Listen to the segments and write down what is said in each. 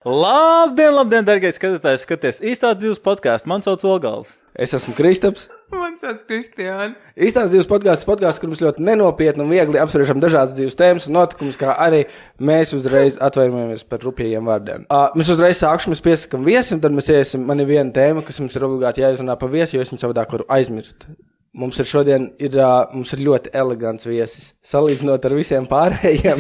Labdien, dargais skatītājs, skaties Īstās dzīves podcastu. Man sauc Ogals. Es esmu Kristaps. Man sauc Kristiāna. Īstās dzīves podcasts, kur mums ļoti nenopietni un viegli apspriežam dažādas dzīves tēmas un notikumus, kā arī mēs uzreiz atvainojamies par rupjajiem vārdiem. Mēs uzreiz sākšu, mēs piesakam viesi, un tad mēs iesim, man ir viena tēma, kas mums ir obligāti jāizrunā par viesi, jo es viņu savādāk varu aizmirst. Mums ir šodien mums ir ļoti elegants viesis, salīdzinot ar visiem pārējiem.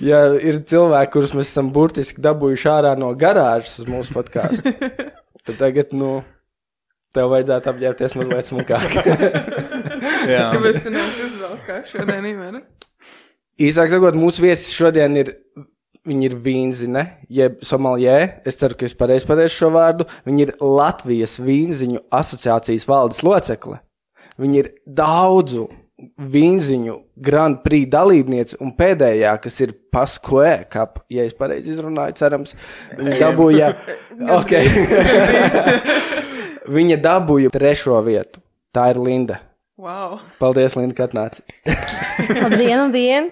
Ja ir cilvēki, kurus mēs esam burtiski dabūjuši ārā no garāžas uz mūsu podcastu, tad tagad, tev vajadzētu apģērbties mazliet smukāk. Jā. Kāpēc tu neesi uzvalkā šodien, Ivana? Īsāk sakot, mūsu viesis šodien viņi ir vīnzine, jeb somaljē, es ceru, ka es pareizi pateikšu šo vārdu, viņi ir Latvijas vīnziņu asociācijas valdes locekle. Viņi ir daudzu vīnziņu Grand Prix dalībniece un pēdējā, kas ir Pasquē Cup, ja es pareizi izrunāju, cerams, viņa dabūja, viņa dabūja 3. vietu. Tā ir Linda. Wow. Paldies, Linda, ka atnāci. Labdien.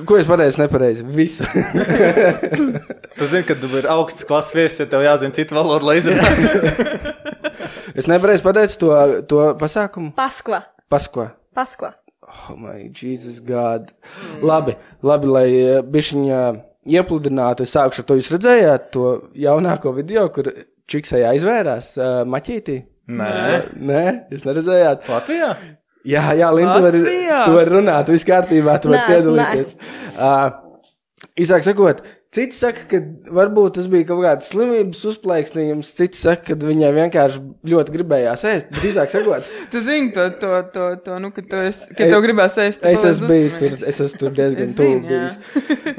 Ko es pateicu nepareizi? Visu. Tu zini, ka tu ir augsts klases viesis, ja tev jāzina citu valodu, lai izrunātu. Es nepareizi pateicu to pasākumu? Paskva. Oh my Jesus God. Labi, lai bišķiņa iepludinātu, es sākušu ar to. Jūs redzējāt to jaunāko video, kur čiksai aizvērās maķītī? Nē, jūs neredzējāt? Latvijā? Jā, Linda, tu vari runāt, viss kārtībā, tu vari piedalīties. Īsāk sakot, citi saka, ka varbūt tas bija kaut kāds slimības uzplaiksnījums, citi saka, ka viņai vienkārši ļoti gribējās ēst, bet īsāk sakot... Tu zini to, ka tev gribās ēst. Es esmu tur diezgan tuvu bijis.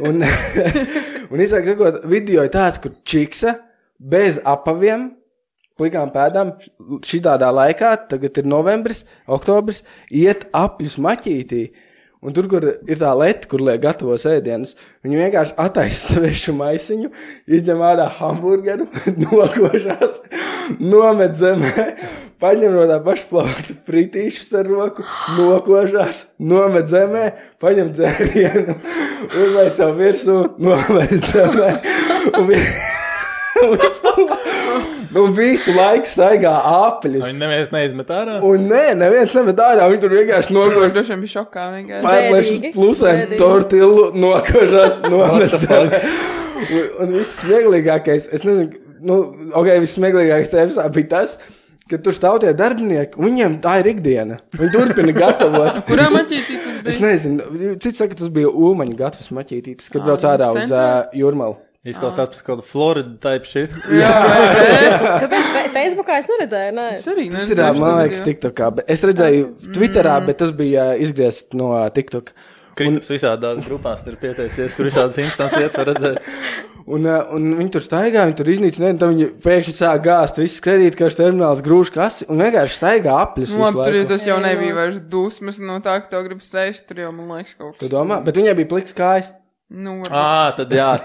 Un īsāk sakot, video ir tāds, kur čiksa bez apaviem, plikām pēdām, šitādā laikā, tagad ir novembris, oktobris, iet apļus maķītī. Un tur, kur ir tā leta, kur liek gatavos ēdienus, viņi vienkārši attaisa svešu maisiņu, izņem ārā hamburgeru, nokošās, nomet zemē, paņem no tā pašplaukta fritīšus ar roku, nokošās, nomet zemē, paņem dzērienu, uzlai savu virsū, nomet zemē, un visu laiku staigā āpeļus. Viņi neviens neizmet ārā? Un neviens nemet ārā, viņi tur vienkārši nokož. Drošiem bija šokā vienkārši. Pārlēšas plusēm, tortillu, nokožās, nomet zemē. Un viss smieglīgākais, es nezinu, viss smieglīgākais tajā visā bija tas, ka tur stāv tie darbinieki, un viņiem tā ir ikdiena. Viņi turpina gatavot. Kurā maķītī tas bija? Es nezinu, cits saka, tas bija Ulmaņa gatavs maķītītis, kad brauc ārā uz Jūrmalu. Izklausās pēc kādu Florida type shit. Jā. Kāpēc Facebookā es neredzēju? Nē. Tas ir, man liekas, TikTokā. Es redzēju Twitterā, bet tas bija izgriezt no TikTok. Kristaps visādās grupās ir pieteicies, kur visādas instants lietas var redzēt. Un viņi tur staigā, viņi tur iznīcina, un tad viņi pēkšņi sāk gāzt visas kredītkaršu termināls, grūž kasi, un vienkārši staigā apļus visu laiku. Tur tas jau nebija vairs dusmas no tā, ka tev grib sēst, tur jau, man liekas, kaut kas. Tu domā? Bet viņai bija pliks kājas. Tad jā.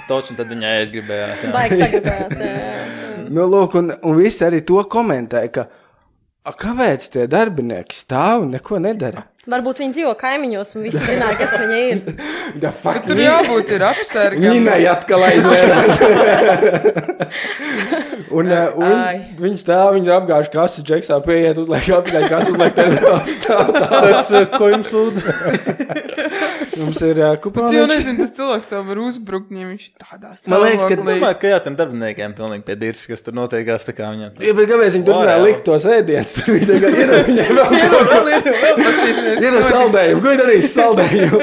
Toči, tad viņai aizgribējās. Baigs sagribējās, jā. Lūk, un visi arī to komentēja, ka kāpēc tie darbinieki stāv un neko nedara? Varbūt viņi dzīvo kaimiņos un visi zināja, kas viņa ir. Bet tur jābūt ir apsargam. Viņai atkal aizvērās. un viņi stāv, viņi ir apgājuši kasu, džeksā pieiet, uzliek apgāju kasu, uzliek terminālu stāv. Tas, ko jums lūdzu? Mums ir kuponi. Bet jau nezinu, tas cilvēks tev var uzbrukt, ja viņš tādā stāvoklī. Man liekas, ka jā, tiem darbiniekiem pilnīgi pie dirs, kas tur notiekās tā kā viņam. Jā, bet kāpēc viņi turpināja likt tos ēdienus? Tur bija tagad, ir saldējumu. Ko ir darījis saldējumu?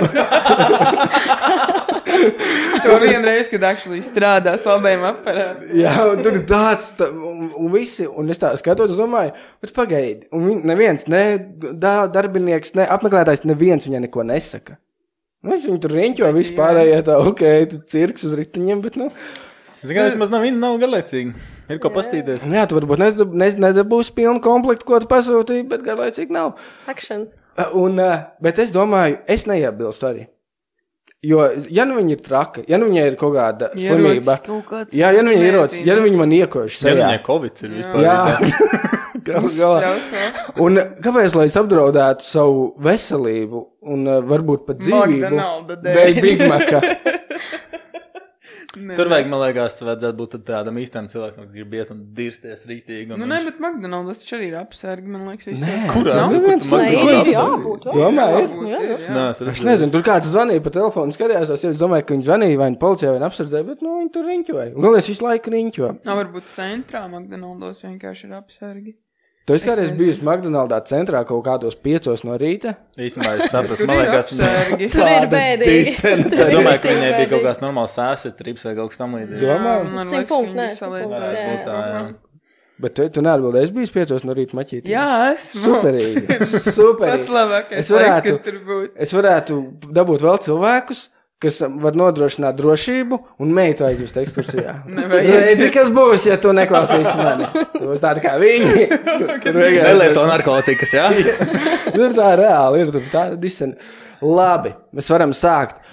To vienreiz, kad actually strādā saldējumu aparātu. Jā, un tur ir tāds, un visi, un es tā skatot, domāju, bet pagaidi. Un neviens, darbinieks, apmeklētājs, neviens viņai neko nesaka. Viņi tur riņķo vispārējie tā, tu cirks uz ritiņiem, bet Ziniet, vismaz nav garlaicīgi. Ir ko pastīties. Jā, tu varbūt nedabūsi pilnu komplektu, ko tu pasūtīji, bet garlaicīgi nav. Actions. Bet es domāju, es neiebilstu arī. Jo, ja viņi ir traka, ja viņai ir kaut kāda slimība, ja viņi ir ierocis, ja viņi man iekojuši sejā. Ja viņai Covid ir vispār. Jā. Un kāpēc, lai es apdraudētu savu veselību un varbūt pat dzīvību, dēļ Big Maca? Tur vajag, man liekas, vajadzētu būt tādam īstam cilvēkam, kas grib iet un dirsties rītīgi. Nu, ne, bet McDonald's taču arī ir apsērgi, man liekas, Nē, kurā? Jābūt. Es nezinu, tur kāds zvanīja pa telefonu, skatījās, es domāju, ka viņi zvanīja vai policijā vai apsardzēja, bet, viņi tur riņķoja. Un galvenais visu laiku riņķo. Varbūt centrā McDonald's vienkārši ir apsērgi. Tu esi kādreiz bijusi McDonaldā centrā kaut kādos 5 no rīta? Īstenībā es sapratu, man liekas, Tur ir bēdīgi. Es domāju, ka viņai bija kaut kāds normāls sēsetrips vai kaut kas tam līdzīgs. Domāju? 100 punkti, Bet tu neatbildēji, es biju 5 no rīta maķīt. Jā, esmu. Superīgi. Pats Superīgi. labākais laiks, kad tur būt. Es varētu dabūt vēl cilvēkus, kas var nodrošināt drošību un meitu aizvest ekskursijā. Redzi, kas būs, ja tu neklausīsi mani. Tu būs tādi kā viņi. Nelieto narkotikas, jā? Tur tā reāli ir, tur tā disena. Labi, mēs varam sākt.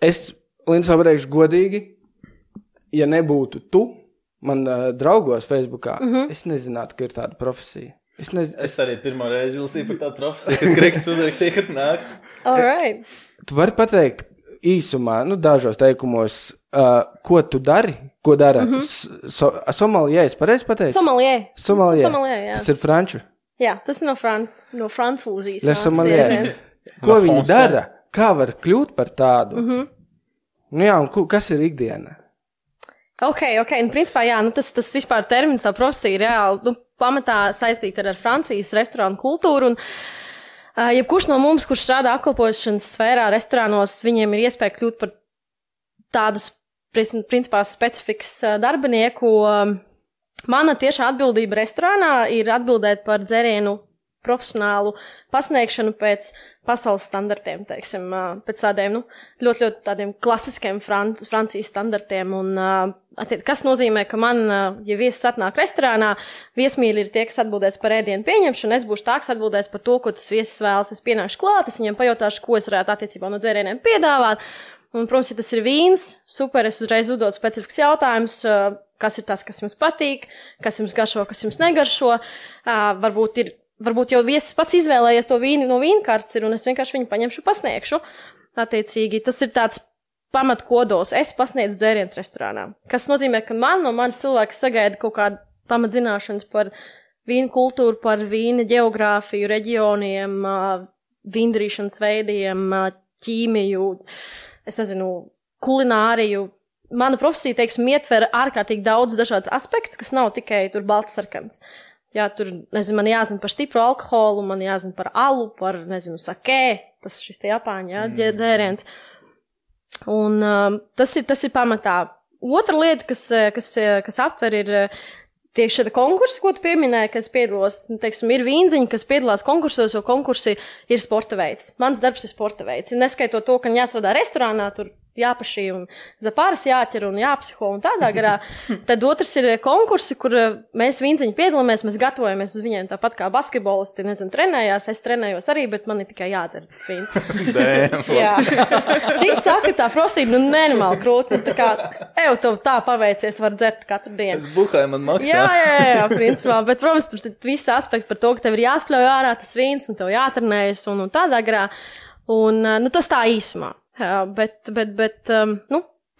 Es, Linds, pateikšu godīgi, ja nebūtu tu, man draugos Facebookā, es nezinātu, ka ir tāda profesija. Es arī pirmo reizi lasīju par tādu profesiju, kad Gregs uzrakstīja, kad nāks. All right. Tu vari pateikt īsumā, dažos teikumos, ko tu dari, ko dara somalijē, es pareizi pateicu? Somalijē, jā. Tas ir franču. Jā, tas no francūzijas. Le somalijē. Ko viņi dara? Kā var kļūt par tādu? Nu jā, un kas ir ikdiena? Ok, principā jā, tas vispār termins, tā profesija ir reāli, pamatā saistīta ar Francijas restorānu kultūru, un jebkurš no mums, kurš strādā apkalpošanas sfērā restorānos, viņiem ir iespēja kļūt par tādus, principā, specifikas darbinieku. Mana tiešā atbildība restorānā ir atbildēt par dzērienu profesionālu pasniegšanu pēc pasaules standartiem, teiksim, pēc tādiem, ļoti tādiem klasiskiem Francijas standartiem. Un, kas nozīmē, ka man, ja viesis atnāk restorānā, viesmīļi ir tie, kas atbildēs par ēdienu pieņemšanu, es būšu tā, kas atbildēs par to, ko tas viesis vēlas. Es pienākšu klāt, es viņam pajautāšu, ko es varētu attiecībā no dzērieniem piedāvāt. Un, protams, ja tas ir vīns, super, es uzreiz uzdod specifisks jautājums, kas ir tas, kas jums patīk, kas jums garšo, kas jums negaršo. Varbūt jau viesis pats izvēlējies to vīnu no vīnkartes ir, un es vienkārši viņu paņemšu, pasniegšu. Attiecīgi, tas ir tāds pamatkodols. Es pasniedzu dzērienus restorānā. Kas nozīmē, ka no manis cilvēks sagaida kaut kādu pamatzināšanas par vīnu kultūru, par vīna geogrāfiju, reģioniem, vīndarīšanas veidiem, ķīmiju, es nezinu, kulināriju. Mana profesija, teiksim, ietver ārkārtīgi daudz dažādas aspektus, kas nav tikai tur balts sarkans. Jā, tur, nezinu, man jāzina par stipru alkoholu, man jāzina par alu, par, nezinu, sakē, tas šis te Japāņu, jā, dzēriens. Un tas ir pamatā. Otra lieta, kas aptver, ir tieši šāda konkursi, ko tu pieminēji, kas piedalos, teiksim, ir vīnziņi, kas piedalās konkursos, jo konkursi ir sporta veids. Mans darbs ir sporta veids. Neskaitot to, ka jāstrādā restorānā, tur jāpašī un zapāras jāķer un jāpsiho un tādā garā. Tad otrs ir konkursi, kur mēs vīnziņi piedalāmies, mēs gatavojamies uz viņiem tāpat kā basketbolisti, nezinu, trenējās, es trenējos arī, bet man ir tikai jādzer tas vīns. Jā. Cik saka, tā profesija, nenormāli krūti, tā kā, tev tā paveicies, var dzert katru dienu. Es buhāju, man maksā. Jā, principā, bet, protams, tur visi aspekti par to, ka tev ir jāspļauj ārā tas vīns un tev jātrenējas un tādā garā. Un, tas tā īsumā. Bet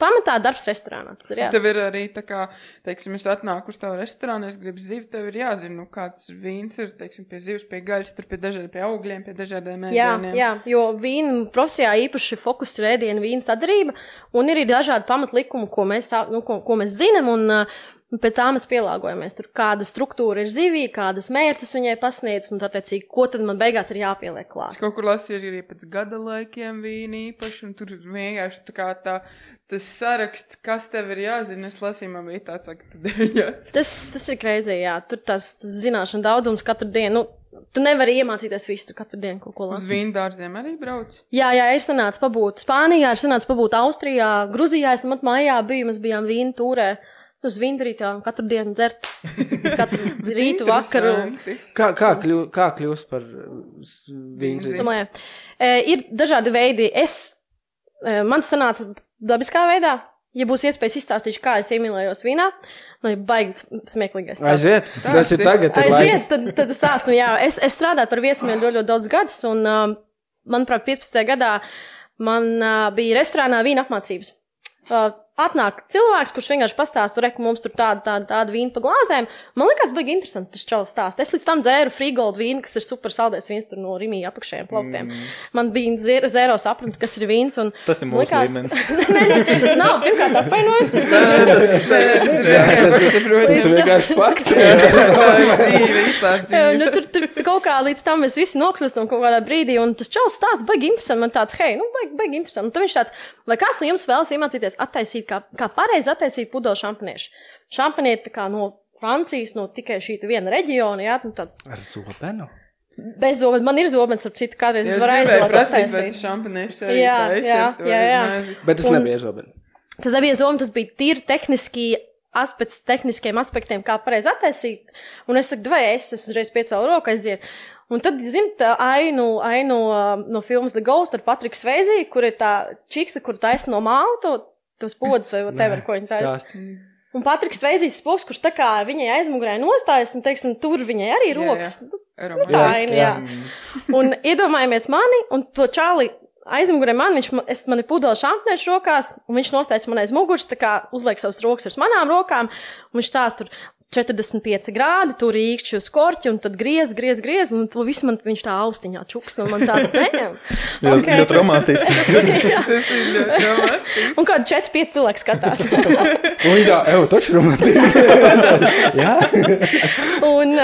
pamatā darbs restorānā. Tev ir arī tā kā, teiksim, es atnāku uz tavu restorānu, es gribu zivi, tev ir jāzina, kāds vīns ir, teiksim, pie zivs, pie gaļas, tur pie augļiem, pie dažādiem ēdieniem. Jā, jo vīnu profesijā īpaši fokus ir ēdienu vīnu sadarība, un ir dažādi pamatlikumi, ko mēs zinām, un pēc tā mēs pielāgojamies. Tur kāda struktūra ir zivī, kādas mērķis viņai pasniedz, un tātecīgi, ko tad man beigās ir jāpieliek klāt. Es kaut kur lasīju arī pēc gada laikiem vīni īpaši, un tur vienkārši tā kā tas saraksts, kas tev ir jāzina, es lasīju, man bija tāds, ka tad ir jāzina. Tas ir crazy, jā. Tur tas zināšana daudzums katru dienu. Tu nevari iemācīties visu katru dienu kaut ko lasīt. Uz vīndārziem arī brauc? Jā, ir sanāca pabūt Spānijā, ir sanāca pabūt Austrijā, Gruzijā, es mājā biju, mēs bijām vīnu tūrē. Uz vīndarītām katru dienu dzert, katru rītu, vakaru. Kā kļūst par vīnziņu? Ir dažādi veidi. Man sanāca dabiskā veidā. Ja būs iespējas izstāstīšu, kā es iemīlējos vīnā, baigi smieklīgais. Aiziet, tas ir tagad. Aiziet, tad es esmu, jā. Es strādāju par viesmīļu ļoti daudz gadus, un, manuprāt, 15. gadā man bija restorānā vīna apmācības. atnāk cilvēks, kurš vienkārši pastāsta, ka mums tur tāda vīna pa glāzēm. Man liekas, baigi interesanti tas čalis stāst. Es līdz tam dzēru Freegold vīnu, kas ir super saldēs vīns tur no Rimī apakšējiem plauktiem. Man bija zero saprat, kas ir vīns. Un tas ir mūsu līmenis. Tas nav, pirmkārt, apvainojas. Tas ir vienkārši fakts. Tur kaut kā līdz tam mēs visi nokļūstam kaut kādā brīdī, un tas čalis stāsts baigi interesanti. Man tāds, baigi interesanti. Un tad viņš tāds, vai kāds no jums vēlas iemācīties attaisīt, kā pareizi attaisīt pudeļu šampaniešu. Šampanieti tā kā no Francijas, no tikai šīta viena reģiona, jā, nu tāds. Ar zobenu? Bez zobenu. Man ir zobens, ap citu, kādreiz es varu aizdot attaisīt. Šampaniešu jā. Bet tas nebija zobenu. Tas nebija zobenu, tas bija tīri tehniskiem aspektiem, kā pareizi attaisīt. Un es saku, es uzreiz piecēlu roku aiziet. Un tad, tā ainu no filmas The Ghost ar Patriku Sveizī, kur ir tā čiksa, kur taisa no mālu, tos podas vai whatever, ko viņa taisa. Un Patriks Sveizīs spoks, kurš tā kā viņai aizmugurē nostājas, un, teiksim, tur viņai arī rokas. Tā aina, jā. Un iedomājamies mani, un to čāli aizmugurē mani ir pudeļu šampaniešu rokās, un viņš nostājas man aiz muguras, tā kā uzliek savas rokas ar manām rokām, un viņš tās tur 45 grādi, tur īkšķi uz korķi, un tad griez, un to visu viņš tā austiņā čukst, un man tāds neņem. Ļoti romantiski. Tas ir ļoti romantiski. Un kādi 4-5 cilvēki skatās. Un tā, taču romantiski. Jā. Un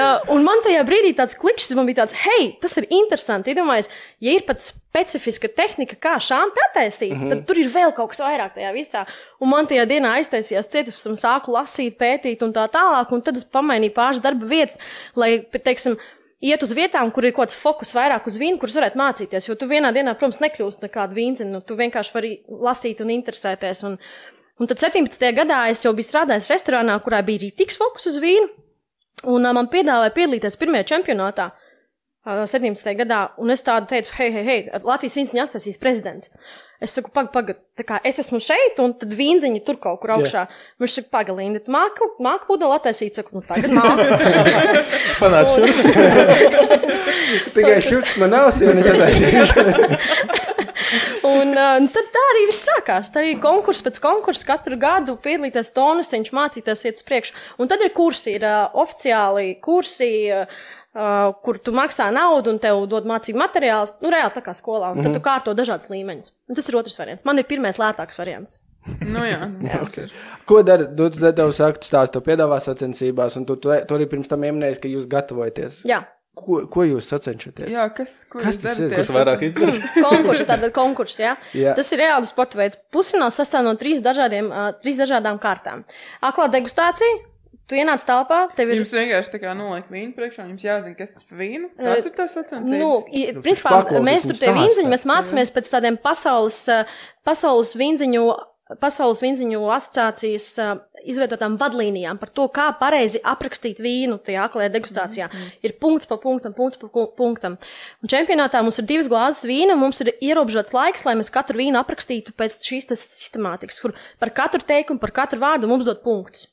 man tajā brīdī tāds klikšķis, man bija tāds, tas ir interesanti. Iedomājies, ja ir pat specifiska tehnika, kā šāmpi attaisīt, tad tur ir vēl kaut kas vairāk tajā visā. Un man tajā dienā aiztaisījās cietis, pēc tam sāku lasīt, pētīt un tā tālāk, un tad es pamainīju pāris darba vietas, lai, teiksim, iet uz vietām, kur ir kaut kāds fokus vairāk uz vīnu, kurus varētu mācīties, jo tu vienā dienā, protams, nekļūst nekādu vīnzini, tu vienkārši vari lasīt un interesēties. Un tad 17. gadā es jau biju strādājis restorānā, kurā bija rītīgs fokus uz vīnu, un man piedāvāja piedalīties pirmajā čempionātā 17. gadā, un es tādu teicu, hei, Latvijas vīnziņu atstāsīs prezidents. Es saku, pagad, tā kā es esmu šeit, un tad vīnziņi tur kaut kur augšā. Viņš saka, Pagalīni, tu māku pudeli attaisīt? Saku, tagad māku. Panāc šurp. Tikai šurp man nav, jo es attaisīšu. Un tad tā arī viss sākās. Tā arī konkurs pēc konkursa katru gadu piedalīties tonusiņš, mācīties iet uz priekšu. Un tad ir kursi, ir oficiāli kursi, kur tu maksā naudu un tev dod mācību materiālus, reāli tā kā skolā, un tad tu kārto dažādas līmeņus. Un tas ir otrs variants. Man ir pirmais lētāks variants. Jā. Ko dara? Tu tev saka, tu stāsti, tev piedāvā sacensībās, un tu arī pirms tam ieminējies, ka jūs gatavojaties. Jā. Ko jūs sacenšaties? Jā, kas tas ir? Kurš vairāk izdarīs? Konkurss, jā. Tas ir reāli sporta veids. Pusfināls sastāv no 3 dažādām kārtām. Aklā degustācija. Tu ienāc telpā, tev ir... Jums vienkārši tā kā noliek vīnu priekšā, jums jāzina, kas tas par vīnu? Tas ir tās sacensības? Principā, mēs tur tie vīnziņi, mēs mācāmies pēc tādiem pasaules vīnziņu asociācijas izveidotām vadlīnijām par to, kā pareizi aprakstīt vīnu tajā aklajā degustācijā. Ir punkts pa punktam. Un čempionātā mums ir 2 glāzes vīna, mums ir ierobežots laiks, lai mēs katru vīnu aprakstītu pēc šīs sistemātikas, kur par katru teikumu, par katru vārdu mums dod punktus.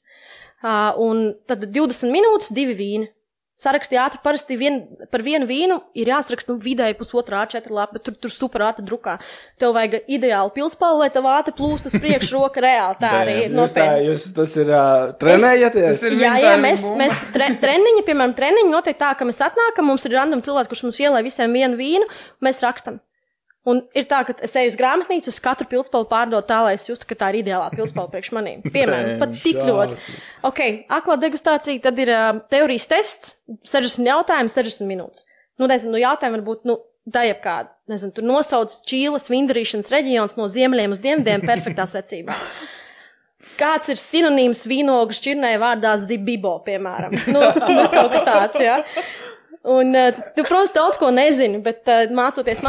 Un tad 20 minūtes 2 vīni. Sarakstī ātri parasti par vienu vīnu ir jāsaraksta vidēji 1,5 A4 lapa, bet tur super ātri drukā. Tev vajag ideāli pilspālu, lai tev ātri plūst uz priekšu roka reāli. Tā arī ir nopietni. Tas ir trenējaties? Jā, mēs treniņi, piemēram, notiek tā, ka mēs atnākam, mums ir random cilvēks, kurš mums ielai visiem vienu vīnu, mēs rakstam. Un ir tā, ka es eju uz grāmatnīcu, uz katru pilspālu pārdot tā, lai es justu, ka tā ir ideālā pilspāla priekš manīm. Piemēram, pat tik ļoti. Ok, aklā degustācija, tad ir teorijas tests, 60 jautājumi, 60 minūtes. Jautājumi varbūt, tā jebkāda. Tur nosauc Čīles vindarīšanas reģions no ziemeļiem uz dienvidiem perfektā secībā. Kāds ir sinonīms vīnogu šķirnē vārdā zibibo, piemēram? Kaut kas tāds, jā. Un tu, protams, daudz ko nezini, bet mācoties,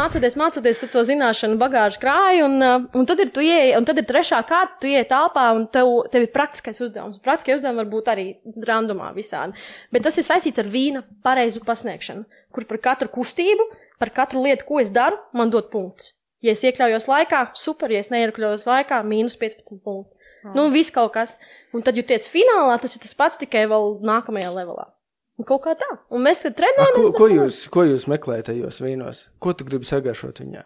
tu to zināšanu bagāžu krāji, un tad ir tu ieej, un tad ir trešā kārta, tu ieej telpā, un tev ir praktiskais uzdevums. Praktiskie uzdevumi var būt arī randomā visādi. Bet tas ir saistīts ar vīna pareizu pasniegšanu, kur par katru kustību, par katru lietu, ko es daru, man dod punktus. Ja es iekļaujos laikā, super, ja es neiekļaujos laikā, -15 punktu. Viss kaut kas. Un tad, ja tiec finālā, tas ir tas pats tikai vēl nākamajā levelā. Un kaut kā tā. Un mēs, kad trenējamies... Ko jūs meklējat tajos vīnos? Ko tu gribi sagaršot viņā?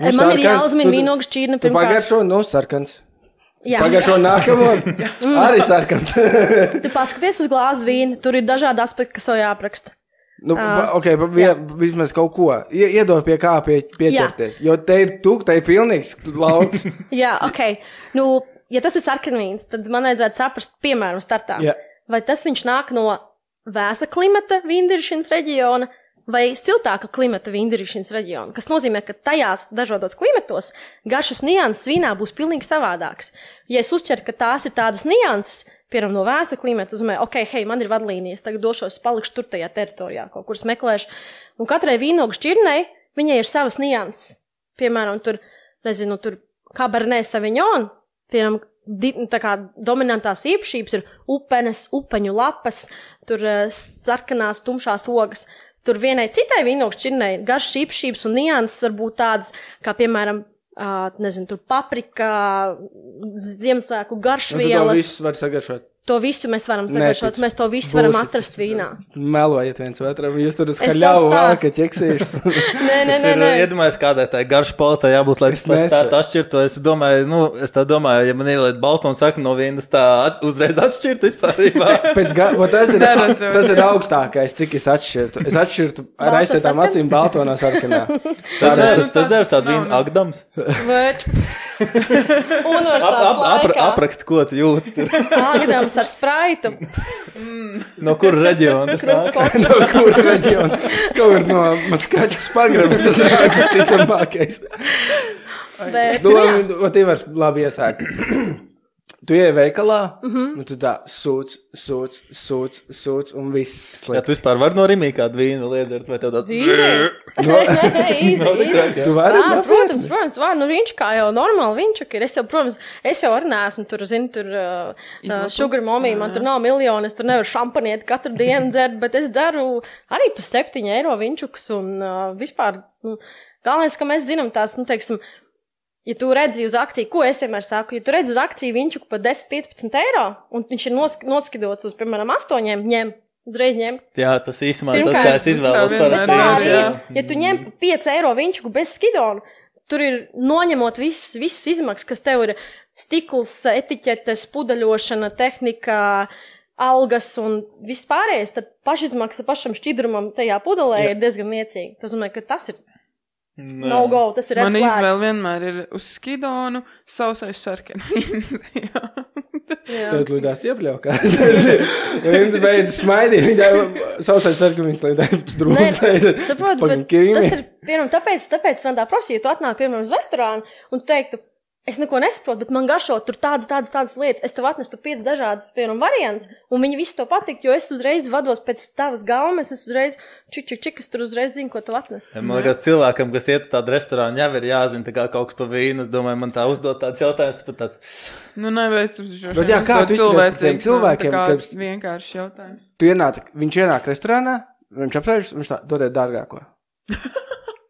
Man ir jāuzmina vīnogu šķirne pirmkārt. Tu pagaršo, sarkans. Pagājušo nākamo arī sarkans. Tu paskaties uz glāzi vīnu, tur ir dažādi aspekti, kas vēl jāapraksta. Nu, vismaz kaut ko. Iedod pie kā pieķerties. Jo te ir pilnīgs lauks. Jā, Nu, ja tas ir sarkanvīns, tad man vajadzētu saprast, piemēram, startā. Vai tas viņš nāk no vēsa klimata vīndiršanas reģiona vai siltāka klimata vīndiršanas reģiona, kas nozīmē, ka tajās dažādos klimatos garšas nianses vīnā būs pilnīgi savādāks. Ja es uzķeru, ka tās ir tādas nianses, piemēram, no vēsa klimata, uzmē, man ir vadlīnijas, tagad došos, palikšu tur tajā teritorijā, kaut kur meklēšu. Un katrai vīnogu šķirnei viņai ir savas nianses. Piemēram, tur Cabernet Sauvignon, piemēram, tā kā dominantās īpašības ir upenes, upeņu lapas, tur sarkanās, tumšās ogas. Tur vienai citai vīnogu šķirnei garšas īpašības un nianses var būt tādas, kā piemēram, tur paprika, Ziemassvētku garšvielas. To visu var sagaršot. To visu mēs varam sagaršot, mēs to visu varam atrast vīnā. Melojiet viens otram, jūs tur uz haļavu vāka ķeksīšus. Nē. Iedomājies, kādai tai garša paletai jābūt, lai es spētu atšķirt to. Es domāju, ja man ieliet baltu un sarkano vīnu, tā uzreiz atšķirtu vispārībā. Tas ir augstākais, cik es atšķirtu. Es atšķirtu ar aizsētām acīm balto no sarkanā. Tas dzērs tādu vīnu Agdams. Aprakst, ko tu jūti. Agdams ar spraitu. No kura reģiona tas nāk? No kura reģiona? Kaut ir no Maskačkas pagrabas, tas ir ticamākais. Tu vari labi iesākt. Tu ieej veikalā, un tu tā sūc, un viss sliek. Ja tu vispār vari no Rimī kādu vīnu liedzert, vai tev tādu? Īzi. Tu vari? Protams, var. Nu, viņš kā jau normāli viņš ir. Es jau arī neesmu tur, sugar mommy, man tur nav miljoni, es tur nevaru šampanieti katru dienu dzert, bet es dzeru arī pa 7 eiro vinčukus, un vispār, galvenais, ka mēs zinām tās, ja tu redzi uz akciju, ko es vienmēr saku, ja tu redzi uz akciju vinčuku pa 10-15 eiro, un viņš ir noskidots uz, piemēram, 8, uzreiz ņem. Jā, tas īstumā tas, kā es izvēlos parasti. Ja tu ņem 5 eiro vinčuku bez skidonu, tur ir noņemot visas izmaksas, kas tev ir stikls, etiķetes, pudaļošana, tehnika, algas un viss pārējais, tad pašizmaksa pašam šķidrumam tajā pudelē ir diezgan niecīga. Tas domāju, ka tas ir no go, tas ir man izvēle vienmēr ir uz skidonu, sausais sarkanvīns. Tev lidās iepļaukās. Viņa beidz smaidīt, viņa sausais sarkanvīns lidās drūms. Saprotu, bet tas ir, piemēram, tāpēc man tā prasīja, ja tu atnāk, piemēram, uz restorānu un tu teiktu, es neko nesaprotu, bet man garšo tur tādas lietas. Es tev atnestu 5 dažādas, piemēram, variantus, un viņi visi to patikt, jo es uzreiz vados pēc tavas gaumes, es uzreiz čik, es tur uzreiz zinu, ko tev atnest. Man liekas, cilvēkam, kas iet uz tādu restorānu, jau ir jāzina tā kā kaut kas pa vīnu. Es domāju, man tā uzdot tāds jautājums, pat tāds. Bet jā, kā tu izturies par tiem cilvēkiem, kas vienkārši jautājums. Viņš ienāk restorānā, viņš apsēžas, viņš tā, dodiet dārgāko.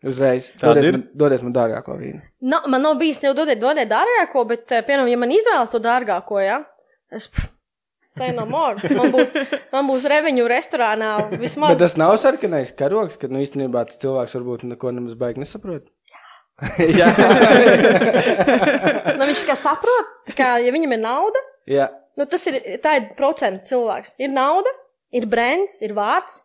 Uzreiz. Dodiet man dārgāko vīnu. Man nav bijis jau dodiet dārgāko, bet, piemēram, ja man izvēlas to dārgāko, es say no more. Man būs reveņu restorānā vismaz. Bet tas nav sarkanais karogs, kad, īstenībā tas cilvēks varbūt neko nemaz baigi nesaprot. Jā. Viņš kā saprot, ka, ja viņam ir nauda, jā. Tā ir procentu cilvēks. Ir nauda, ir brands, ir vārds.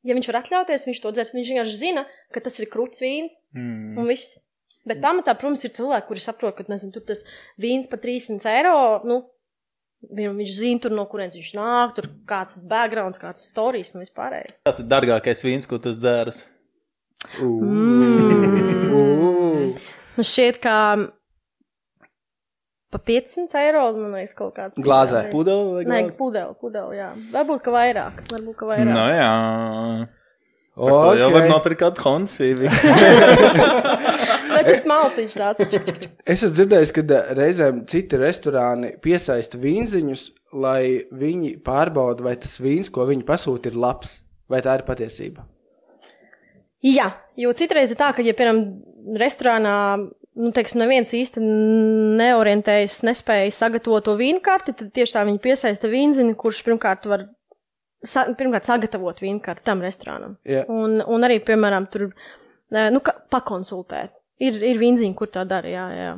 Ja viņš var atļauties, viņš to dzers. Viņš vienkārši zina, ka tas ir kruts vīns un viss. Bet pamatā, protams, ir cilvēki, kuri saprot, ka, tur tas vīns pa 300 eiro, viņš zina tur, no kurienes viņš nāk, tur kāds backgrounds, kāds stories un vispārējais. Kāds ir dārgākais vīns, ko tu dzēras? Man šķiet, ka pa 500 eiro, man liekas, kaut kāds. Glāzē. Pudeli vai glāzē? Nē, pudeli, jā. Varbūt, ka vairāk. No jā. Par to jau var nopirkt kādu Honda. Bet tas malciņš tāds. Es esmu dzirdējis, ka reizēm citi restorāni piesaista vīnziņus, lai viņi pārbauda, vai tas vīns, ko viņi pasūta, ir labs, vai tā ir patiesība. Jā, jo citreiz ir tā, ka, ja, piemēram, restorānā neviens īsti neorientējas, nespēja sagatavot to vīnu karti, tad tieši tā viņi piesaista vīnziņu, kurš pirmkārt var sagatavot vīnu karti tam restorānam. Yeah. Un arī, piemēram, tur pakonsultēt. Ir vīnziņi, kur tā dara, jā.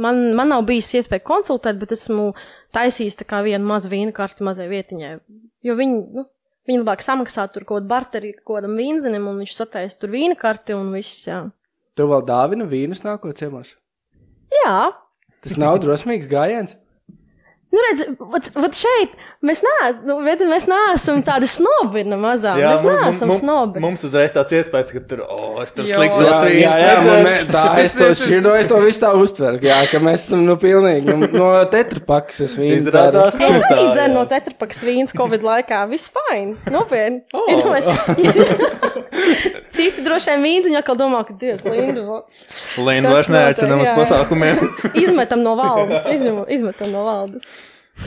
Man nav bijis iespēja konsultēt, bet esmu taisījis tā kā vienu mazu vīna karti mazai vietiņai. Jo viņi labāk samaksā tur kaut barteri kodam vīnzenim, un viņš sataisa tur vīna karti un viss, jā. Tev vēl dāvina vīnus nākot ciemos? Jā. Tas nav drosmīgs gājiens? Nu, redz, vat šeit mēs neesam tādi snobi mazā. Jā, mēs neesam snobi. Mums uzreiz tāds iespējas, ka tur, es tur sliktu dots vīns. Jā, es to šķirdo, es to visu tā uztveru, jā, ka mēs esam, pilnīgi, no tetrapakas es vīnu dzeru. Es arī dzeru no tetrapakas vīns Covid laikā, viss fine, nopietni. Citi droši vien vīnziņi atkal domā, ka Dievs, Lindu vairs neaicina mums pasākumiem. Izmetam no valdes.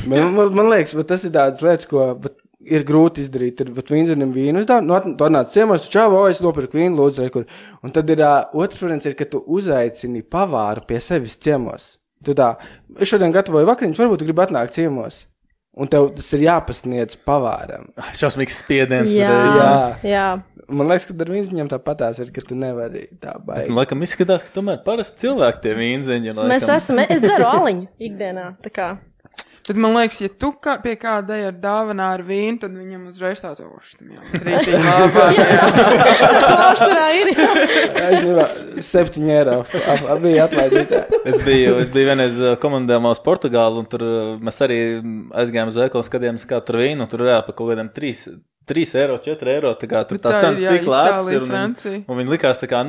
Man liekas, tas ir tādas lietas, ko ir grūti izdarīt. Ir vīnzenim vīnu uzdāv, tu atnāc ciemos, tu čau, es nopirku vīnu, lūdzu, rekur. Un tad ir otrs variants, ka tu uzaicini pavāru pie sevis ciemos. Tu tā, es šodien gatavoju vakariņus, varbūt tu gribi atnākt ciemos. Un tev tas ir jāpasniedz pavāram. Šausmīgs spiediens. Jā. Man liekas, ka ar vīnziņiem tāpatās ir, ka tu nevari tā baigi. Bet, laikam, izskatās, ka tomēr parasti cilvēki tie vīnziņi. Es dzeru aliņu ikdienā, tā kā. Bet man liekas, ja tu pie kāda ar dāvanā ar vīnu, tad viņam uzreiz tāds oštam jau. Rītīgi labāk. Pārsvarā ir. €7 bija atlaidītā. Es biju vienreiz komandējumā uz Portugālu, un tur mēs arī aizgājām uz veikalu, skatījāmies, kā tur vīnu, un tur reāli pa kaut kādiem 3 €, 4 €, tā kā tur tās cenas tik lētas ir, un viņi likās tā kā,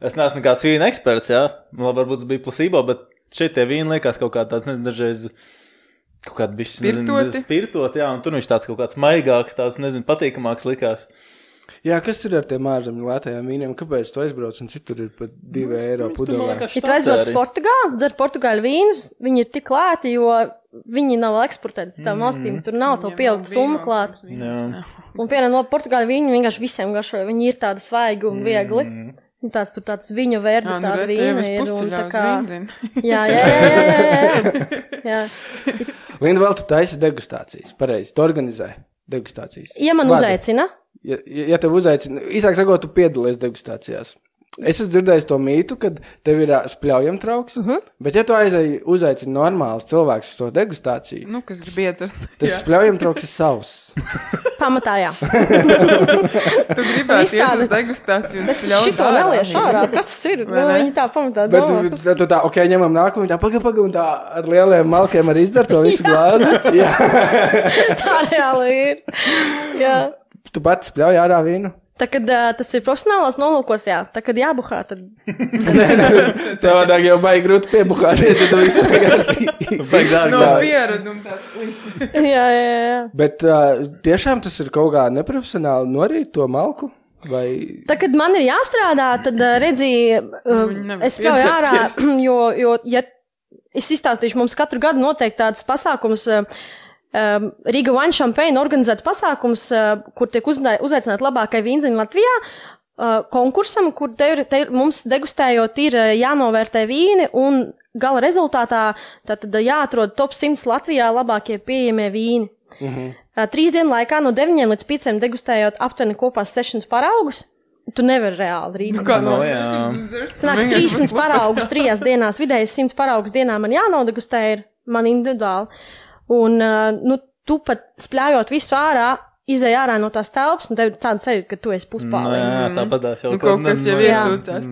es neesmu nekāds vīna eksperts, jā, varbūt tas bija placebo, bet šeit tie vīni likās kaut kā tāds, nezinu, dažreiz kaut kāda bišķi spirtoti, jā, un tur viņš tāds kaut kāds maigāks, tāds, nezinu, patīkamāks likās. Jā, kas ir ar tiem ārzemju lētajiem vīniem? Kāpēc tu aizbrauc un citur ir pat €2 pudelē? Ja tu aizbrauc uz Portugālu, dzer Portugāļu vīnus, viņi ir tik lēti, jo viņi nav eksportēti citām valstīm, tur nav to pieaugt summu klāt. Un piemēram, no Portugāļu vīņu vienkārši visiem garšoja, viņi ir tādi svaigi un viegli. Tāds viņa vērta tāda vīna ir. Un tā kā... Jā. Linda, vēl tu taisi degustācijas, pareizi, tu organizē degustācijas. Ja man uzaicina? Ja tev uzaicina, īsāk sakot, tu piedalies degustācijās. Es esmu dzirdējis to mītu, kad tev ir spļaujam trauks, bet ja tu uzaicini normāls cilvēks uz to degustāciju, kas grib iedzert, tas spļaujam trauks ir savs. Pamatā, jā. Tu gribētu iet uz degustāciju un spļaut šito neliešu ārā, kas tas ir? Viņi tā pamatā domā. Bet tu tā, ņemam nākumu, tā paga, un tā ar lieliem malkiem arī izdara to visu glāzi. Tā reāli ir. Jā. Tu pats spļauj ārā vīnu? Tā, kad tas ir profesionālās nolūkos, jā. Tā, kad jābuhā, tad... Savādāk jau baigi grūti piebuhāties, ja tu visu vienkārši... No pieredum tāds. Jā. Bet tiešām tas ir kaut kā neprofesionāli norīt to malku? Vai... Tā, kad man ir jāstrādā, tad redzīja, es spļauju ārā, jo, ja es izstāstīšu, mums katru gadu noteikti tāds pasākums... Riga Wine Champagne organizēts pasākums, kur tiek uzaicināt labākai vīnziņi Latvijā, konkursam, kur mums degustējot ir jānovērtē vīni un gala rezultātā tātad jāatrod top 100 Latvijā labākie pieejamie vīni. 3 dienu laikā no 9 līdz 5 degustējot aptuveni kopā 600 paraugus. Tu nevari reāli rīt. Sanāk 300 paraugus 3 dienās, vidēji 100 paraugus dienā man jānodegustē ir man individuāli. Un, tu pat spļājot visu ārā, izēj ārā no tās telpas, un tev tāda sajūta, ka tu esi puspāliņ. Jā, tāpatās jau kaut kas jau iesūcās.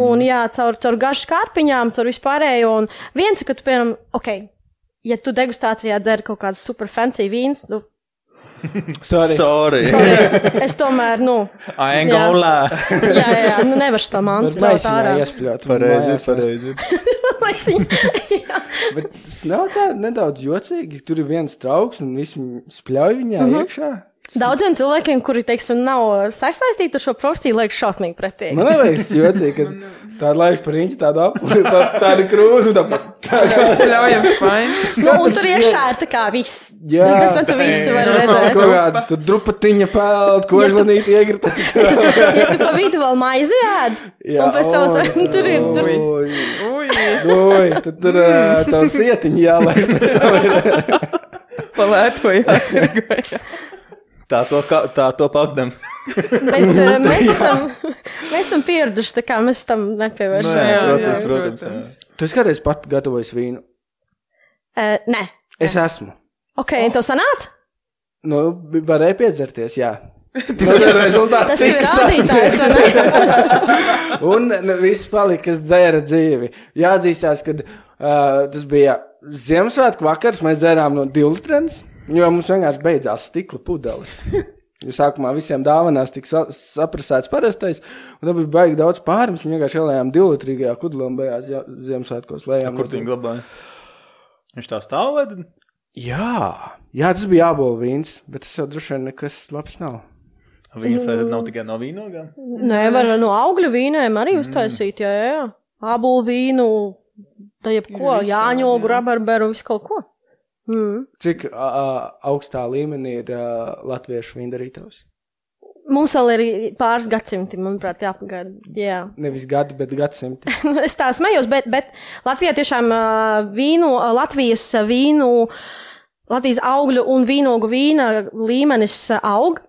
Un jā, caur garšu kārpiņām, caur vispārējo, un viens, ka tu, piemēram, ja tu degustācijā dzer kaut kāds super fancy vīns, Sorry. Es tomēr, I ain't gonna lie. Jā, nevar šo mānu spļaut ārā. Pareizi. Bet tas nav tā nedaudz jocīgi, tur ir viens trauks un visi spļauj viņā iekšā. Daudziem cilvēkiem, kuri, teiksim, nav saistīti ar šo profesiju, liekas šausmīgi pretīgi. Man liekas jocīgi, ka tāda laiž par riņķi, tāda krūzu, spļaujam špains. Un tur iekšā ir tā kā viss. Jā. Kas tu visu var redzēt. Kaut kāds tur drupatiņa peld, kožlanīti iegritas. Ja tu pa vidu vēl maizi ēd, un pēc savas, tur ir. Ui, tad tur caur sietiņu jālaiž pēc tam ir. Palētojāt. Tā to pakdams. Bet mēs esam pieraduši, tā kā mēs tam nepievēršam. Protams. Tu esi kādreiz pat gatavojis vīnu? Nē. Es esmu. Ok, tev sanāca? Nu, varēja piedzerties, jā. Rezultāts tika sasniegts. Un viss palika, kas dzēra dzīvi. Jāatzīstās, ka tas bija Ziemassvētku vakars, mēs dzērām no 2 litrenes, jo mums vienkārši beidzās stikla pudeles. Jo sākumā visiem dāvanās tika saprasēts parastais, un tad bija baigi daudz pārums, un vienkārši ielējām 2-litrīgajā kudelē un beigās Ziemassvētkos lējām. Kur tu viņu glabāji? Viņš tā stāv vai? Jā, tas bija ābolu vīns, bet tas jau droši vien nekas labs nav. Vīns vai tad nav tikai no vīnogām? Nē, var no augļu vīnēm arī uztaisīt, jā. Ābolu vīnu, tā jebko, jāņogu, rabarberu, visu kaut ko. Cik augstā līmenī ir latviešu vīndarītavs? Mums vēl ir pāris gadsimti, manuprāt, jāpagaida. Jā. Nevis gadi, bet gadsimti. Es tā smējos, bet Latvijā tiešām Latvijas augļu un vīnogu vīna līmenis aug.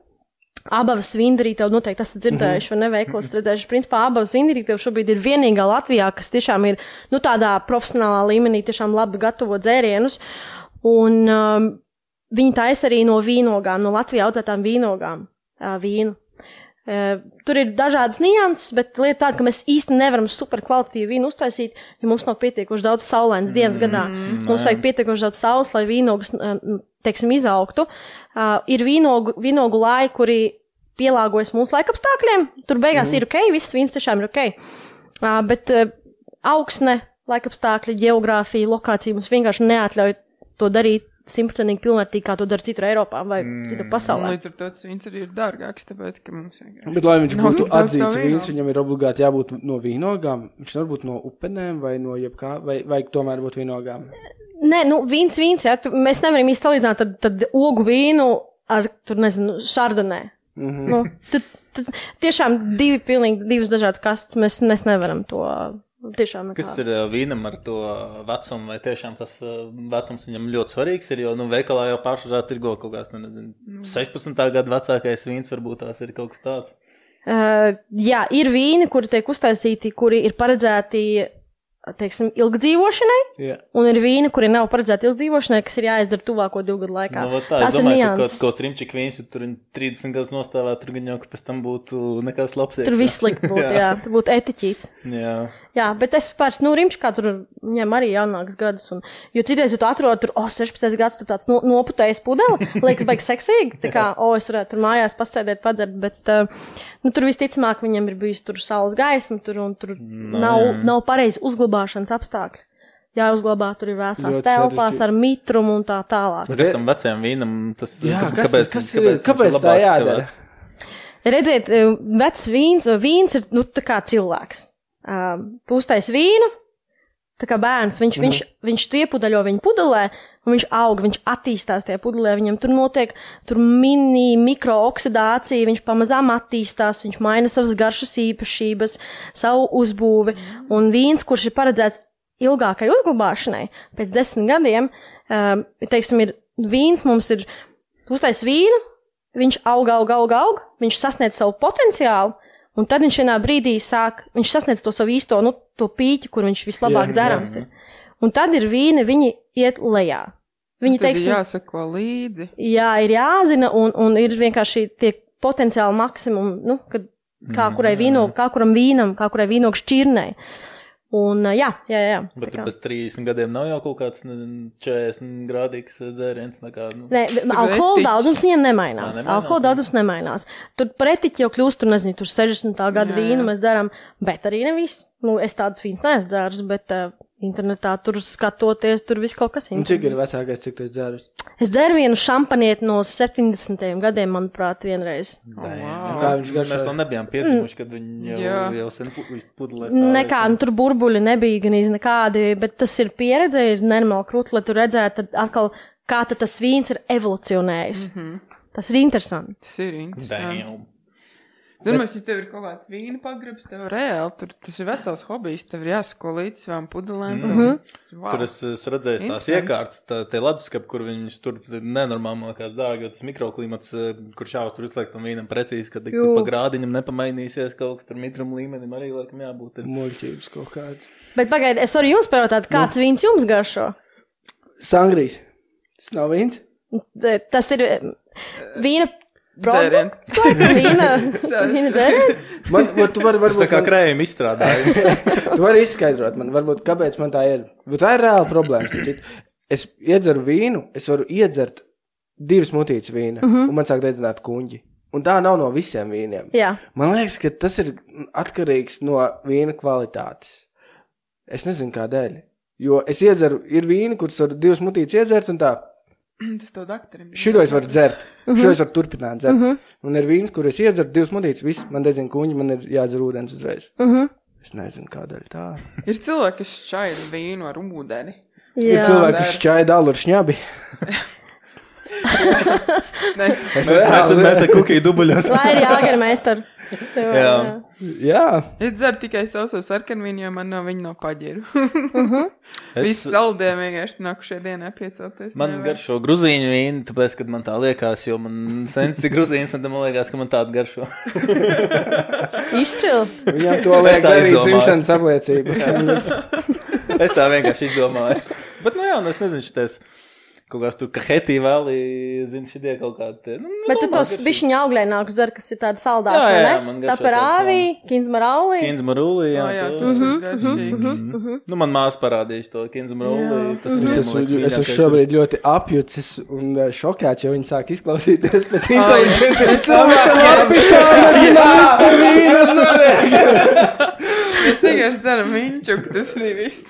Abavas vīndarītavu noteikti esat dzirdējuši un neveiklas redzējuši. Principā Abavas vīndarītavu šobrīd ir vienīgā Latvijā, kas tiešām ir, tādā profesionālā līmenī tiešām labi gatavo dzērienus. Un viņi taisa arī no vīnogām, no Latvijā audzētām vīnogām vīnu. Tur ir dažādas nianses, bet lieta tāda, ka mēs īsti nevaram superkvalitīvu vīnu uztaisīt, jo mums nav pietiekoši daudz saulainas dienas gadā. Mums vajag pietiekoši daudz saules, lai vīnogas, izaugtu. Ir vīnogu laji, kuri pielāgojas mūsu laikapstākļiem. Tur beigās ir ok, viss vīns tiešām ir ok. Bet augsne, laikapstākļi, geogrāfija, lokācija mums vienkārši neatļauj to darīt 100% pilnvērtīgi, kā to dara citur Eiropā vai citur pasaulē. Līdz ar to tas vīns arī ir dārgāks, tāpēc, ka mums vienkārši... Bet, lai viņš būtu atzīts vīns, viņam ir obligāti jābūt no vīnogām. Viņš nevar būt no upenēm vai no jebkā, vai tomēr būt vīnogām? Nē, vīns, jā. Mēs nevaram īsti salīdzināt tad ogu vīnu ar, šardanē. Tiešām divas dažādas kastes. Mēs nevaram to tiešām nekā. Kas ir vīnam ar to vecumu, vai tiešām tas vecums viņam ļoti svarīgs ir, jo, veikalā jau pārsvarā tirgo kaut kāds, 16. gadu vecākais vīns, varbūt tās ir kaut kas tāds. Jā, ir vīni, kuri tiek uztaisīti, kuri ir paredzēti, ilgdzīvošanai, un ir vīni, kuri nav paredzēti ilgdzīvošanai, kas ir jāizdara tuvāko 2 gadu laikā. Es domāju, ka kaut rimčik vīns, tur 30 gadus nostāvēt, tur gan jau, ka pēc tam būtu nekas labs. Tur viss slikt būtu, jā, tur būtu etiķīts. Jā, bet es pāris, rimčikā tur viņam arī jānāks gadus, jo citreiz, ja tu atrod tur, 16 gads, tu tāds noputējis pudeli, liekas baigi seksīgi, tā kā, es varētu tur mājās pasēdēt, padzert, bet, tur visticamāk viņam ir bijis tur saules gaisma, un tur nav pareizi uzglabāšanas apstākļi. Jāuzglabā, tur ir vēsās telpās ar mitrumu un tā tālāk. Bet kas tam vecajam vīnam, tas, kāpēc tā jādara? Redziet, vecs vīns ir, tā kā cilvēks. Tu uztais vīnu, tā kā bērns, viņš iepudeļo viņu pudelē, un viņš aug, viņš attīstās tajā pudelē, viņam tur notiek mikrooksidācija, viņš pamazām attīstās, viņš maina savas garšas īpašības, savu uzbūvi, un vīns, kurš ir paredzēts ilgākai uzglabāšanai, pēc 10 gadiem, ir vīns, mums ir, uztais vīnu, viņš aug, viņš sasniedz savu potenciālu, un tad viņš vienā brīdī viņš sasniedz to savu īsto, to pīķi, kur viņš vislabāk dzerams ir. Un tad ir vīni, viņi iet lejā. Viņi, tad ir jāsako līdzi. Jā, ir jāzina, un ir vienkārši tie potenciāli maksimumi, kā kuram vīnam, kā kurai vīnogu šķirnei. Un jā. Bet pēc 30 gadiem nav jau kaut kāds 40 grādīgs dzēriens nekā. Nē, alkohola daudzums viņam nemainās. Alkohola daudzums nemainās. Tur pretiķi jau kļūst, tur 60. gada vīnu mēs darām, bet arī ne viss. Es tādas vīnas neesmu dzērus, bet internetā tur skatoties, tur viss kaut kas interesants. Cik ir vecākais, cik tu esi dzērus? Es dzeru vienu šampanieti no 70. gadiem, manuprāt, vienreiz. Kā viņš garšoja? Mēs vēl nebijām piedzimuši, kad viņi jau sen pudelēs. Nekā, tur burbuļi nebija gan nekādi, bet tas ir pieredze, ir normāli krūti, lai tu redzētu atkal, kā tas vīns ir evolucionējis. Tas ir interesanti. Tas ir interesanti. Domāju, ja tev ir kaut kāds vīna pagrabs, tev reāli, tas ir vesels hobijs, tev ir jāsako līdz savām pudelēm. Wow. Tur es redzēju tās iekārtas, tie leduskapi, kur viņus tur nenormāli, man liekas, dārgi, jo tas mikroklimats, kur šāvas tur izliek tam vīnam precīzi, kad tur pa grādiņam nepamainīsies kaut kas tur mitram līmenim, arī laikam jābūt. Muļķības kaut kāds. Bet pagaidi, es varu jums pajautāt, kāds vīns jums garšo? Sangrijs. Tas nav vīns? Tas ir vīna produkts, vīna dzēriens? Tu vari varbūt... Tas tā kā krējumi izstrādājas. Tu vari izskaidrot man, varbūt, kāpēc man tā ir. Bet tā ir reāla problēma. Es iedzeru vīnu, es varu iedzert 2 mutītes vīna, un man sāk dedzināt kuņģi. Un tā nav no visiem vīniem. Jā. Man liekas, ka tas ir atkarīgs no vīna kvalitātes. Es nezinu, kādēļ. Jo es iedzeru, ir vīni, kurus varu 2 mutītes iedzert, un tā. Tas tev daktarim. Šito es varu dzert. Šito es varu turpināt dzert. Un ir vīns, kur es iedzeru 2 mutītes, viss, man dedzina kuņi, man ir jādzer ūdens uzreiz. Es nezinu, kādēļ tā. Ir cilvēki, kas šķaida vīnu ar ūdeni. Jā. Ir cilvēki, kas šķaida alu ar šņabi. Mēs ar kukiju dubuļos. Vai ir jāgarmeistar? Jā. Es dzeru tikai sauso sarkanvīnu, jo man no viņa nav paģiru. Visi saldējumi vienkārši nākušie dienā piecelties. Man garšo gruzīņu vīni, tāpēc, kad man tā liekas, jo man sensi gruzīns, un man liekas, ka man tāda garšo. Izcil. Viņam to liek arī dzimšanas apliecība. Es tā vienkārši izdomāju. Bet, nu jā, es nezinu, šitais... Kaut kāds tur kahetī vēlī, zini, šitie kaut kādi. Bet tu tos bišķiņa auglēnākus dzer, kas ir tādi saldāki, ne? Saparāvī, kinzmarauli. Kinzmarauli, jā. Jā, tas ir garšīgs. Nu, man māsa parādījuši to kinzmarauli. Es esmu šobrīd ļoti apjucis un šokēts, jo viņi sāk izklausīties pēc inteliģentiem cilvēkiem. Mēs vienkārši dzeram viņu, tas arī viss.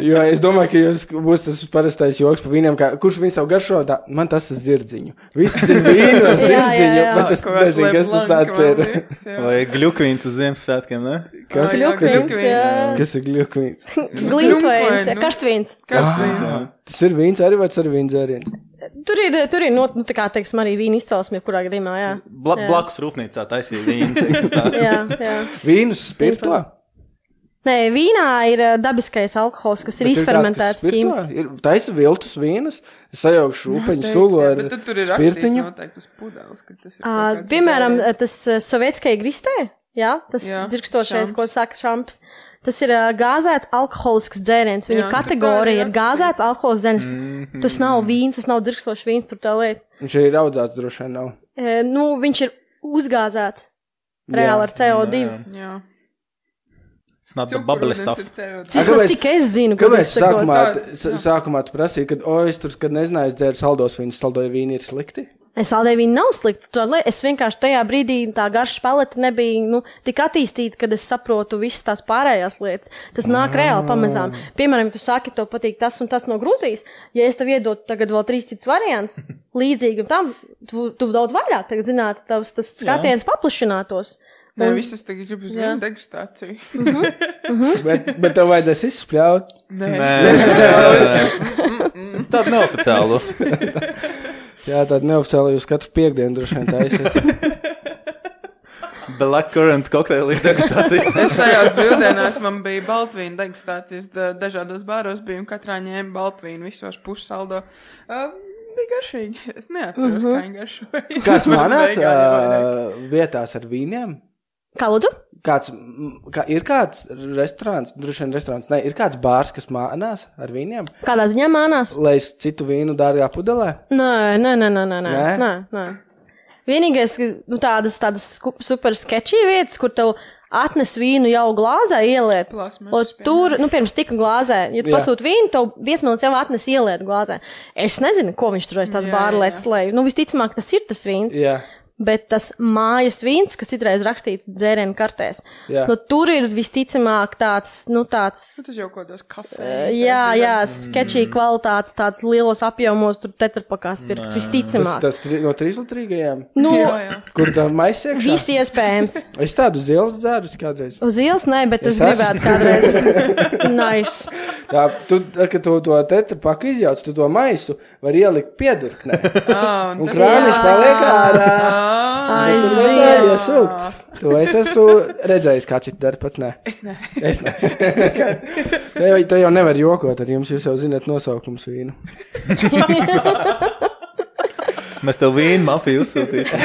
Jo es domāju, ka jūs būs tas parastais joks pa vīniem, kā kurš viņu savu garšo, man tas ir zirdziņu. Visi zina vīnu ar zirdziņu, bet es nezinu, kas tas tāds ir. Vai gļukvīns uz Ziemassvētkiem, ne? Kas ir gļukvīns? Kas ir gļukvīns? Glīmsvējums, karštvīns. Tas ir vīns arī, vai tas ir vīns dzēriens? Tur ir nu tā kā, teiksim, arī vīna izcelsme, kurā gadījumā, jā. Blakus rūpnīcā taisīja vīnu, teiksim tā. Jā. Vīnus spirto? Nē, vīnā ir dabiskais alkohols, kas ir izfermentēts ķīmiski. Taisa viltus vīnus, sajaukšu rūpeņu sulu ar spirtiņu. Bet tur ir rakstīts noteikti uz pudeles, ka tas ir kaut kāds piemēram, tas sovietskai gristē, jā, tas dzirkstošais, ko saka šamps. Tas ir gāzēts alkoholisks dzēriens. Viņa kategorija ir gāzēts alkoholisks dzēriens. Tas nav vīns, tas nav dzirkstošs vīns, tur tā lieta. Viņš ir audzēts, droši vien nav. Nu, viņš ir uzgāzēts reāli ar CO2. Jā. It's not the bubbly stuff. Cik es zinu, kāpēc sākumā tu prasīji, kad nezināju dzēru saldos vīnus, saldoja vīni ir slikti? Saldēja vīni nav slikti. Es vienkārši tajā brīdī tā garša paleta nebija tik attīstīta, kad es saprotu visas tās pārējās lietas. Tas nāk reāli pamazām. Piemēram, tu saki, tev patīk tas un tas no Grūzijas. Ja es tev iedotu tagad vēl 3 citus variants, līdzīgi tam, tu daudz vairāk tagad zinātu, tas skatiens paplašinātos. Nē, visas tagad grib uz vienu degustāciju. Bet tev vajadzēs izspļaut. Nē. Tādu neoficiālu. Jā, tādu neoficiālu jūs katru piekdienu droši vien taisiet. Blackcurrant kokteili degustācija. Es šajās brīvdienās man bija baltvīna degustācijas, dažādos bāros biju un katrā ņēma baltvīnu visos pušsaldo. Bija garšīgi. Es neatceros, kā viņi garšoja. Kāds manās vietās ar vīniem? Kā lūdzu? Ir kāds restorāns, droši vien restorāns, ne, ir kāds bārs, kas mānās ar vīniem? Kādā ziņā mānās? Lai es citu vīnu dārgā pudelē? Nē. Vienīgais, tādas super sketčī vietas, kur tev atnes vīnu jau glāzē ieliet. Tur, pirms tika glāzē, ja tu pasūti vīnu, tev viesmīlis jau atnes ieliet glāzē. Es nezinu, ko viņš tur aiz tās bārletes lej. Visticamāk, tas ir tas vīns. Jā. Bet tas mājas vīns, kas citreiz rakstīts dzērienu kartēs, tur ir visticamāk tāds. Tas jau kādos kafē. Jā, sketčī kvalitātes, tāds lielos apjomos, tur tetrapakās pirkts, visticamāk. Tas no 3-litrīgajām? Jā. Kur tā maisa iekšā? Visi iespējams. Es tādu uz ielas dzērus kādreiz. Uz ielas nē, bet es gribētu kādreiz. Nice. Tā, kad tu to tetrapaku izjauc, tu to maisu var ielikt piedurknē. Un krāniņš paliek ārā. Aiziet! To es esmu redzējis, kā citi dara, pats ne. Es ne. Te jau nevar jokot ar jums, jūs jau zināt nosaukums vīnu. Mēs tev vīnu mafiju uzsūtīsim.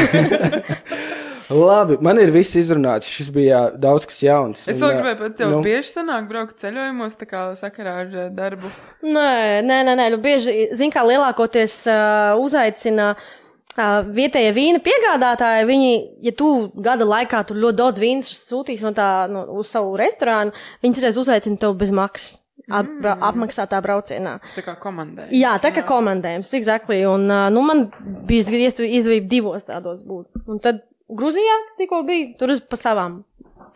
Labi, man ir viss izrunāts. Šis bija daudz kas jauns. Es vēl gribēju pat tev bieži sanāk braukt ceļojumos, tā kā sakarā ar darbu. Nē. Bieži, zin kā lielākoties uzaicina vietējie vīna piegādātāji. Viņi, ja tu gada laikā tur ļoti daudz vīnas sūtīs uz savu restorānu, viņi reiz uzaicina tev bez maksas. Apmaksātā braucienā. Tas tā kā komandējums. Jā, tā kā komandējums, exactly. Un, man bija izdevība 2 tādos būt. Un tad Gruzijā tikko bija, tur pa savām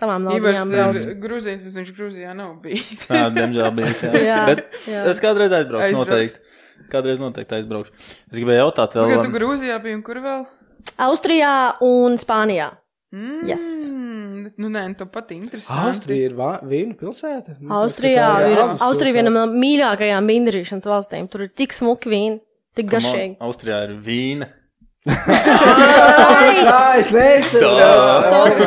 naudījām brauc. Gruzijas, bet viņš Gruzijā nav bijis. Jā, diemžēl bijis, jā. Bet es kādreiz aizbraukšu, noteikti. Kādreiz noteikti aizbraukšu. Es gribēju jautāt vēl. Tu Gruzijā biji un kur vēl? Austrijā un Spānijā. Yes. Nē, tu pat interesanti. Austrija ir vīnu pilsēta? Austrija viena no mīļākajām vīndarīšanas valstīm. Tur ir tik smuki vīni, tik garšīgi. Austrijā ir vīna. Es nesaprotu.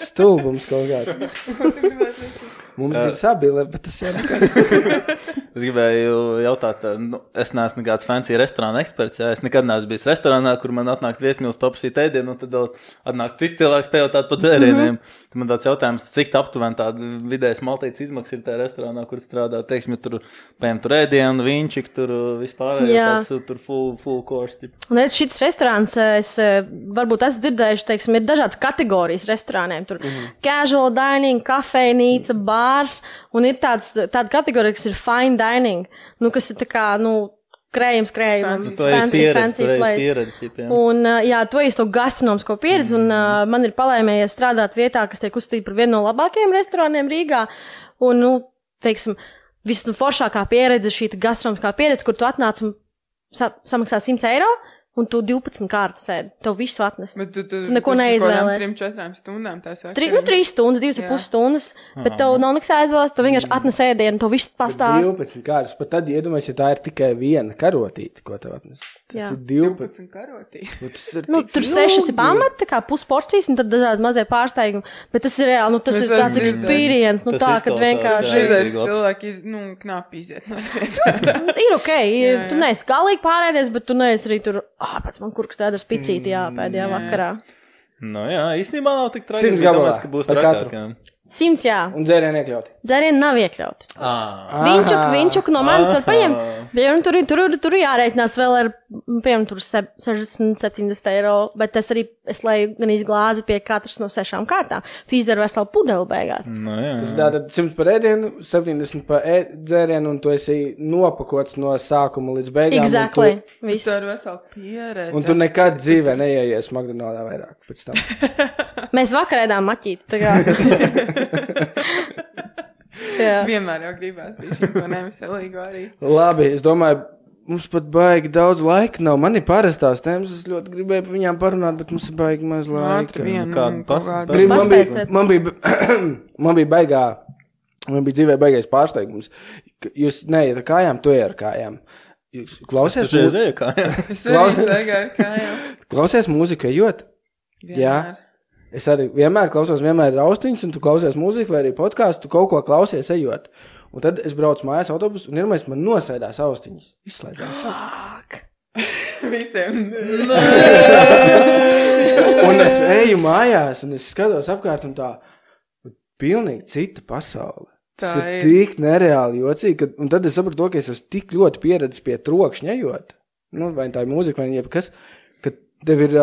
Stulbums kaut kāds. Mums ir sabile, bet tas jau nekas. Es gribēju jautāt, es neesmu nekāds fancy restorāna eksperts, jā, es nekad neesmu bijis restorānā, kur man atnāk viesmīlis paprasīt ēdienu, un tad atnāk cits cilvēks pajautāt par dzērieniem. Tad man tāds jautājums, cik aptuveni tāda vidējas maltītes izmaksas ir tajā restorānā, kur strādā, teiksim, ja tur ēdienu, viņčik, tur vispārējo tāds, tur full course. Tip. Un šis restorāns, es varbūt esmu dzirdējuši, teiksim, ir dažādas kategorijas restorāniem. Tur casual dining, kafejnīca, bārs, un ir tāda kategorija, kas ir fine dining, kas ir tā kā, krējums, fancy place. Un, tu esi to gastronomisko pieredzi, un man ir palēmējies strādāt vietā, kas tiek uzstīta par vienu no labākajiem restorāniem Rīgā, un, teiksim, visforšākā pieredze šī gastronomiskā pieredze, kur tu atnāc un samaksā 100 eiro, un tu 12 kārtas ēd. Tev visu atnest. Bet tu neko neizvēlēs. 3-4 stundām tās jau. 3 stundas, 2,5 stundas, bet tev nav nekas jāizvēlēs, tu vienkārši atnes ēdienu, to visu pastāst. 12 kārtas, pat tad iedomājies, ja tā ir tikai viena karotīte, ko tev atnes. Tas ir 12 karotīte. Tur 6 ir pamat, tā kā pusporcijas, un tad dažādi mazie pārsteigumi, bet tas ir reāli, tas ir tāds experience, tā, kad vienkārši. Žirdēs, ka cilvēki, knāpi iziet no svietas. Ir okei, tu neesi galīgi pārēdies, bet tu neesi arī tur, pēc man kurks tāda spicīti jāpēdējā vakarā. Jā, īstenībā nav tik traģiski. 100 gabalā, ka būs par trakāk, katru. 100, jā. Un dzērieni iekļauti? Dzērieni nav iekļauti. Viņčuk no manis var paņemt. Tur jārēķinās vēl ar, piemēram, tur 60-70 eiro, bet es lai gan izglāzi pie katras no 6 kārtām. Tu izdara veselu pudeli beigās. Tas tātad 100 par ēdienu, 70 par dzērienu, un tu esi nopakots no sākuma līdz beigām. Exactly. Viss. Tu ar veselu pieredzi. Un tu nekad dzīvē neieies McDonald's vairāk pēc tam. Mēs vakar ēdām maķīti, tā kā. Vienmēr jau gribās bija šim to neveselīgu arī. Labi, es domāju, mums pat baigi daudz laika nav. Man ir parastās tēmas, es ļoti gribēju par viņām parunāt, bet mums ir baigi maz laika. Man bija dzīvē baigais pārsteigums. Jūs neiet ar kājām, tu ej ar kājām. Jūs klausies? Tu ej ar kājām? Es arī staigāju ar kājām. Klausies mūziku, ejot? Jā. Es arī vienmēr klausos, vienmēr ir austiņas, un tu klausies mūziku vai arī podkāstu, tu kaut ko klausies ejot. Un tad es braucu mājās autobusu, un iedomājies, man nosēdās austiņas. Izslēdzās. Visiem. Un es eju mājās, un es skatos apkārt, un tā pilnīgi cita pasaule. Tas ir tik nereāli jocīgi, un tad es sapratu to, ka es esmu tik ļoti pieredzis pie trokšņa ejot. Vai tā ir mūzika, vai jebkas, ka tev ir...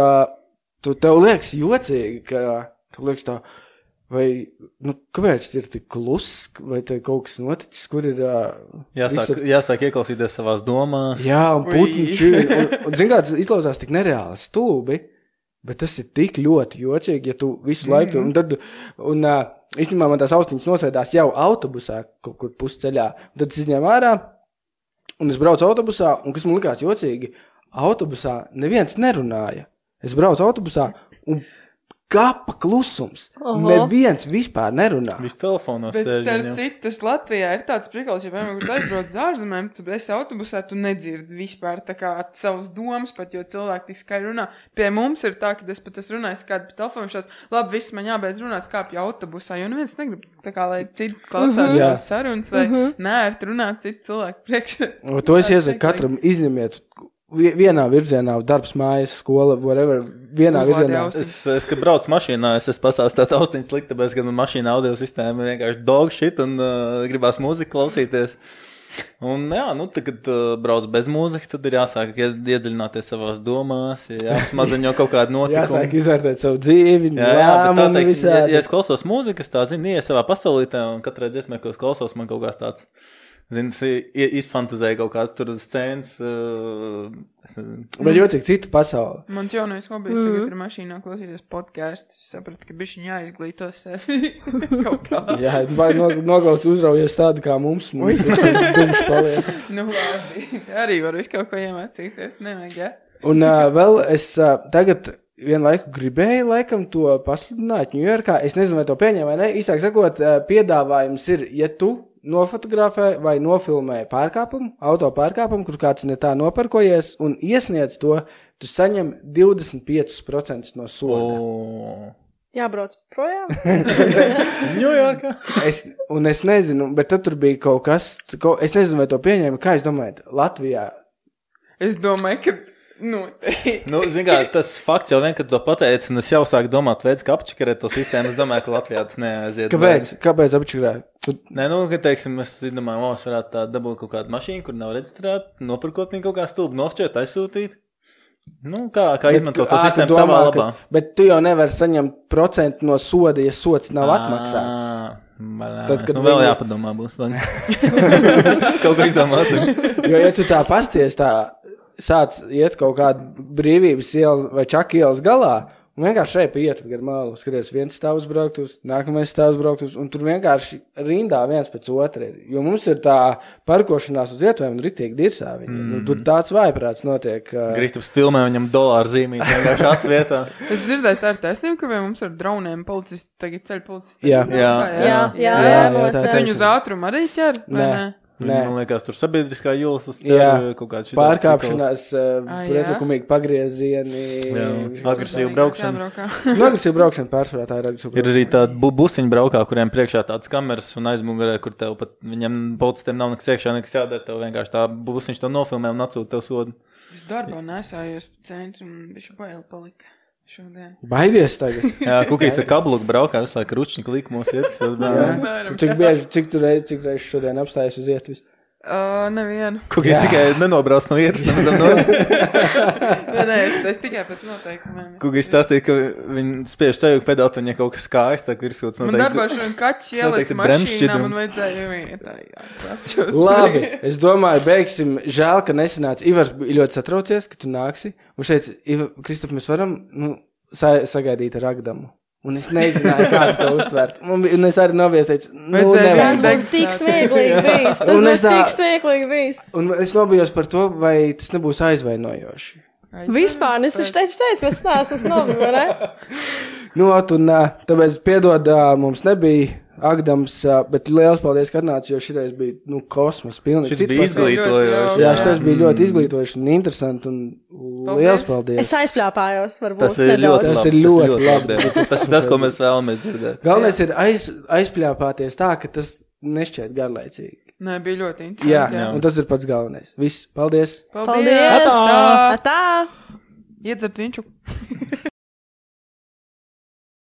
Tev liekas jocīgi, ka tev liekas tā, vai, kāpēc ir tik kluss, vai te kaut kas noticis, kur ir... Jāsāk ieklausīties savās domās. Jā, un putniči, un zin kā, tas izklausās tik nereāli stulbi, bet tas ir tik ļoti jocīgi, ja tu visu laiku, un īstenībā man tās austiņas nosēdās jau autobusā, kaut kur pusceļā, un tad es izņēmu ārā, un es braucu autobusā, un kas man likās jocīgi, autobusā neviens nerunāja. Es braucu autobusā, un kapa klusums. Neviens vispār nerunā. Viss telefonos bet sēž. Bet citus Latvijā ir tāds prikals, ja piemēram, kur tu aizbrauc uz ārzemēm, tu esi autobusā, tu nedzirdi vispār tā kā savus domas, pat jo cilvēki tik skaļi runā. Pie mums ir tā, ka es pat esmu runājis kādu pa telefonu šāds, labi, viss man jābeidz runāt, kāpju autobusā, jo neviens negrib tā kā, lai citi klausās tās sarunas vai nērt runāt citu cilvēku priekšā. To es iesaku katram izņemiet. Vienā virzienā, darbs, mājas, skola, whatever, vienā virzienā. Es kad braucu mašīnā, es pastāstīju austiņas likt, tāpēc, ka man mašīna audio sistēma vienkārši dog shit un gribās mūziku klausīties. Un jā, kad brauc bez mūzikas, tad ir jāsāk iedziļināties savās domās, jāsmazaņo kaut kādu notikumu. Jāsāk izvērtēt savu dzīvi, lēmumu visādi. Ja es klausos mūzikas, tā ies savā pasaulītē, un katrai dziesmē, ko es klausos, man kaut kāds tāds... Zini, izfantazēja kaut kāds tur scēnas. Bet jocīgi cita pasaule. Mans jaunais hobijs tagad ir mašīnā klausīties podcasts. Es sapratu, ka bišķiņ jāizglīto sevi kaut kā. Jā, vai noklaus uzraujies tādu kā mums. Dumš paliec. Labi. Arī var visu kaut ko iemācīties. Nevajag, jā. Un vēl es tagad vienu laiku gribēju laikam to pasludināt Ņujorkā. Es nezinu, vai to pieņem vai ne. Īsāk sakot, piedāvājums ir, ja tu nofotografē vai nofilmē pārkāpumu, auto pārkāpumu, kur kāds ne tā noparkojies un iesniedz to, tu saņem 25% no soda. Jābrauc projām? Ņujorkā. Es nezinu, bet tad tur bija kaut kas, es nezinu, vai to pieņēma, kā es domāju, Latvijā? Es domāju, ka zin kā, tas fakts jau vien, kad to pateici, un es jau sāku domāt veids, kā apčikarēt to sistēmu, es domāju, ka Latvijā tas neaiziet. Kāpēc apčikarēt? Nē, ka, teiksim, es domāju, es varētu tā dabūt kaut kādu mašīnu, kur nav reģistrēta, nopirkot viņu kaut kā stulbu, nofšķēt, aizsūtīt. Kā izmantot to sistēmu savā labā. Bet tu jau nevar saņemt procentu no soda, ja sods nav atmaksāts. Tad, kad vēl jāpadomā būs. Kaut ko izdomāsim. Jo, ja tu tā pasties tā, sāc iet kaut kādu brīvības ielu vai čaka ielas galā, un vienkārši šeit iet gar malu, skaties, viens stāvs brauktus, nākamais stāvs brauktus, un tur vienkārši rindā viens pēc otra ir. Jo mums ir tā parkošanās uz ietvēm un ritīgi dirsā viņi. Tur tāds vājprāts notiek. Kristaps filmē viņam dolāru zīmīt, vienkārši atsvietā. Es dzirdēju, tā ir taisnība, ka mums ar droniem policisti, tagad ceļ policisti. Jā. Viņu uz ātrumu arī ķer, vai ne? Nē. Man liekas, tur sabiedriskā jūlas, tas kaut kāds šitā. Pārkāpšanās, pretlikumīgi pagriezieni. Agresīva braukšana. Agresīva braukšana pārsvarā, tā ir agresīva braukšana. Ir arī tāda busiņa braukā, kuriem priekšā tāds kameras un aizmugurē, kur tev pat viņam policistiem nav nekas iekšā, nekas jādara, tev vienkārši tā busiņš tev nofilmē un atsūta tev sodu. Es darbā nesājos pa centru un bišķi baili palika. Šodien. Baidies tagad. Jā, Kukijs ar kabluku braukā, visu laiku ručņi likumos iet. Cik reiz šodien apstājas uz ietvis? Nevienu. Kukijs tikai nenobrauc no ietvis. Nē, es tikai pēc noteikumiem. Kukijs stāstīja, ka viņi spiež tevi pedāt, un ja kaut kas kājas, tā virsūts noteikti. Man darbā šodien kaķis ieliec mašīnā, man vajadzēja vietā. Labi, es domāju, beigsim. Žēl, ka nesanāca. Ivars bija ļoti satraucies, ka tu nāksi. Un šeit, Kristap, mēs varam sagaidīt ar Agdamu. Un es nezināju, kā to uztvert. Un es arī novies teicu, tas būtu tik smieklīgi bijis. Un es nobijos par to, vai tas nebūs aizvainojoši. Vispār, es teicu, ka es nobiju, ne? Tāpēc piedod, mums nebija Agdams, bet liels paldies, ka atnāci, jo šitais bija, kosmos pilnīgi. Šis bija izglītojoši. Jā, šitais bija ļoti izglītojoši un interesanti un liels paldies. Es aizpļāpājos, varbūt. Tas ir ļoti labi. Tas ir tas, ko mēs vēlamies dzirdēt. Galvenais ir aizpļāpāties tā, ka tas nešķiet garlaicīgi. Nē, bija ļoti interesanti. Jā, un tas ir pats galvenais. Viss, paldies. Paldies. Atā. Iedzert viņu.